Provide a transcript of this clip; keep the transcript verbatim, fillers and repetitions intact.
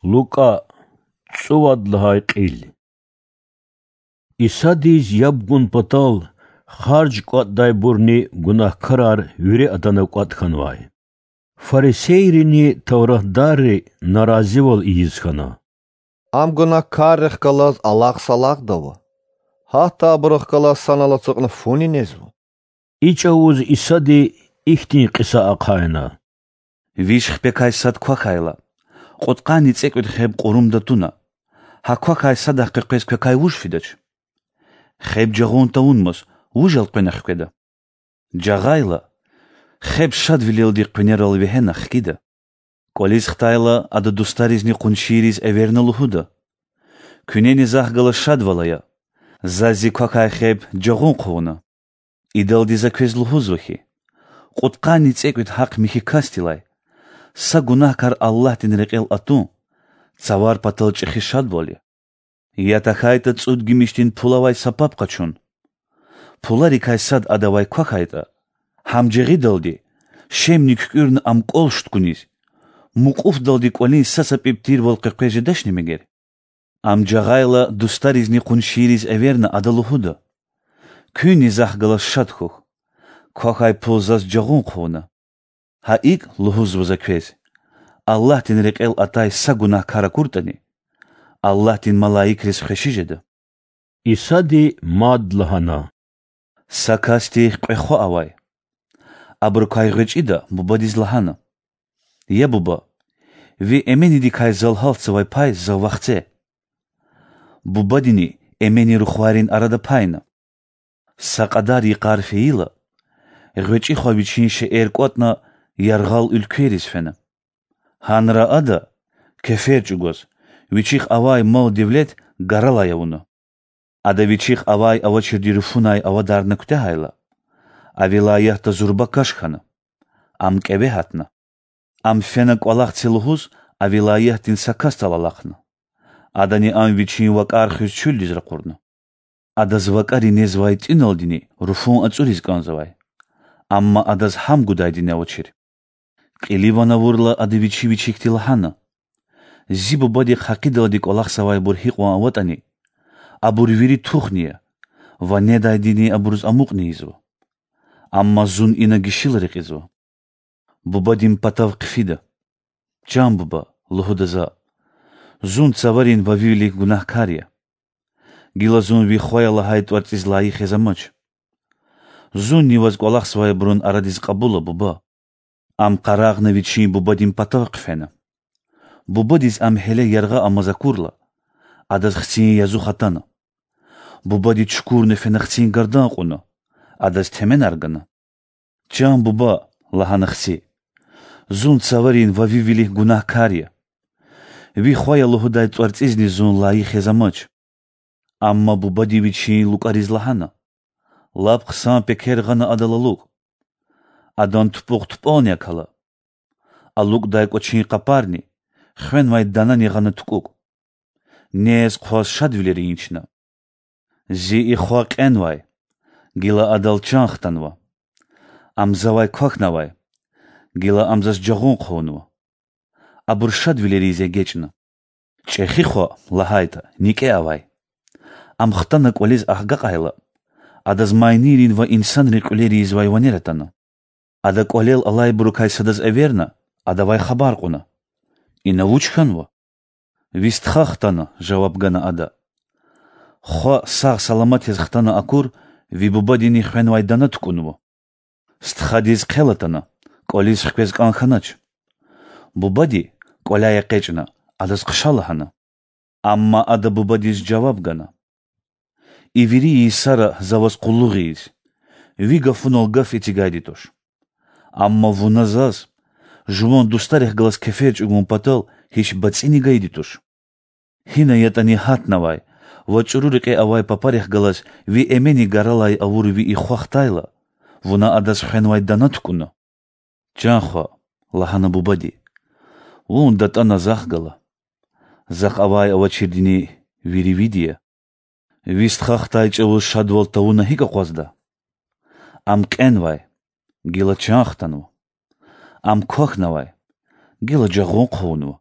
Лукӏа, цӏувад лагьай кьил. Исадиз яб гун патал харж кӏватӏдайбурни гунагькарар вири атана кӏватӏ хьанвай. Фарисейрини тавратдарри наразивал ийиз хьана: Ам гунагькаррихъ галаз алакь-салакьда ава. Гьатта абурухъ галаз санал ацукьна фуни незва. И чӏавуз Исади ихьтин кьиса ахъайна: Виш хипекай сад квахьайла, кьудкъанни цӏекӏуьд хеб кьурумда туна, гьа квахьай садахъ къекъвез квекай вуж фидач? Хеб жагъун тавунмаз, вуж элкъвена хкведа? Жагъайла, хеб шадвилелди къуьнерал вегьена хкида. Кӏвализ хтайла, ада дустаризни къуншийриз эверна лугьуда: Куьнени Захъ галаз шадвал ая, заз зи квахьай хеб жагъун хъувуна. Идалди за квез лугьузва хьи, кьудкъанни цӏекӏуьд гьахъ михьи касдилай са гунагькар Аллагьдин рекьел атун цавар патал чӏехи шадвал я. Я тахьайтӏа цӏуд гимишдин пул авай са паб къачун. Пуларикай сад адавай квахьайтӏа, гьам жагъидалди, шемни куькӏуьрна ам кӏвал шуткуниз, мукьуфдалди кӏвалин са-са пӏипӏ тирвал къекъвез жедачни мегер? Ам жагъайла, дустаризни къуншийриз эверна ада лугьуда: Куьнни Захъ галаз шад хьухь, квахьай пул заз жагъун хъувуна. Гьа икӏ, лугьузва за квез, Аллагьдин рекьел атай са гунагькар акуртӏани, Аллагьдин малаикриз хвеши жеда. Исади мад лагьана: Са касдихъ кьве хва авай. Абурукай гъвечӏида бубадиз лагьана: Я буба, ви эменидикай зал гьалтзавай пай зав вахце. Бубадини эмени рухвайрин арада пайна. Са кьадар йикъар фейила, гъвечӏи хва вичин шейэр кӏватӏна яргъал уьлквейриз фена. Гьанра ада, кефер чӏугваз, вичихъ авай мал-девлет гаралай авуна. Ада вичихъ авай-авачирди руфунай авадарна куьтягьайла, а вилаятда зурба каш хьана. Ам кӏеве гьатна. Ам фена кӏвалах це лугьуз, а вилаятдин са касдал алахъна. Адани ам вичин вакӏар хуьз чуьлдиз ракъурна. Адаз вакӏари незвай тӏуьналдини руфун ацӏуриз кӏанзавай. Амма адаз гьам гудайдини авачир. Кьиле ван авурла, ада вичи вичикди лагьана: Зи бубадихъ гьакъидалди кӏвалахзавайбур гьикьван аватӏани, абур вири тухни я ва недайдини абуруз амукьни ийизва. Амма зун ина гишила рекьизва. Бубадин патав хъфида. Чан буба,— лугьуда за,— зун цаварин ва ви вилик гунагькар я. Гила зун ви хвая лагьай тӏварцӏиз лайих яз амач. Зунни ваз кӏвалахзавайбурун арадиз кьабула, буба. Ам къарагъна вичин бубадин патав хъфена. Бубадиз ам гьеле яргъа амаз акурла, адаз хцин язух атана. Бубади чукурна фена хцин гардан кьуна, адаз теменар гана. Чан буба,— лагьана хци,— зун цаварин ва ви вилик гунагькар я. Ви хвая лугьудай тӏварцӏизни зун лайих яз амач. Амма бубади вичин лукӏариз лагьана: Лап хъсан пекер гъана адал алукӏ. Адан тупӏукь тупӏални акала. Алукӏдай кӏвачин къапарни, хвенвай данани гъана тукӏукӏ. Нез-хъваз шадвилер ийин чна. Зи и хва кьенвай, гила адал чан хтанва. Ам завай квахьнавай, гила ам заз жагъун хъувунва. Абур шадвилериз эгечӏна. Чӏехи хва, лагьайтӏа, никӏе авай. Ам хтана кӏвализ агакьайла, адаз майнийрин ва инсанрин кьуьлер ийизвай ванер атана. Ада кӏвалел алайбурукай садаз эверна, адавай хабар кьуна: Ина вуч хьанва? Ви стха хтана,— жаваб гана ада. Хва сагъ-саламат яз хтана акур, ви бубадини хвенвай дана тукӏунва. Стхадиз хъел атана, кӏвализ хквез кӏан хьанач. Бубади, кӏваляй экъечӏна, адаз хъша лагьана. Амма ада бубадиз жаваб гана: И вири йисара за ваз къуллугъ ийиз, ви гафунал гаф эцигайди туш. Амма вуна заз жуван дустарихъ галаз кефер чӏугун патал гьич бацӏини гайиди туш. Гьина ятӏани гьатнавай ва чӏуру рекье авай папарихъ галаз ви эмени гаралай авур ви и хва хтайла, вуна адаз хвенвай дана тукӏуна. Чан хва,— лагьана бубади,— вун датӏана Захъ гала. Захъ авай-авачирдини вири види я. Ви стха хтай чӏавуз шадвал тавуна гьикӏ акъвазда? Ам кьенвай, гила чан хтанва. Ам квахьнавай, гила жагъун хъувунва.